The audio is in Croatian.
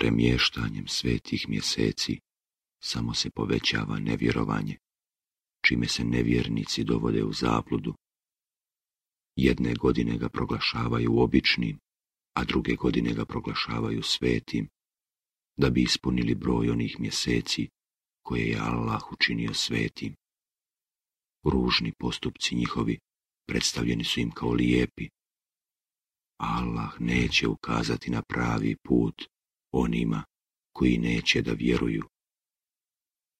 Premještanjem svetih mjeseci samo se povećava nevjerovanje, čime se nevjernici dovode u zabludu. Jedne godine ga proglašavaju običnim, a druge godine ga proglašavaju svetim, da bi ispunili broj onih mjeseci koje je Allah učinio svetim. Ružni postupci njihovi predstavljeni su im kao lijepi. Allah neće ukazati na pravi put onima koji neće da vjeruju.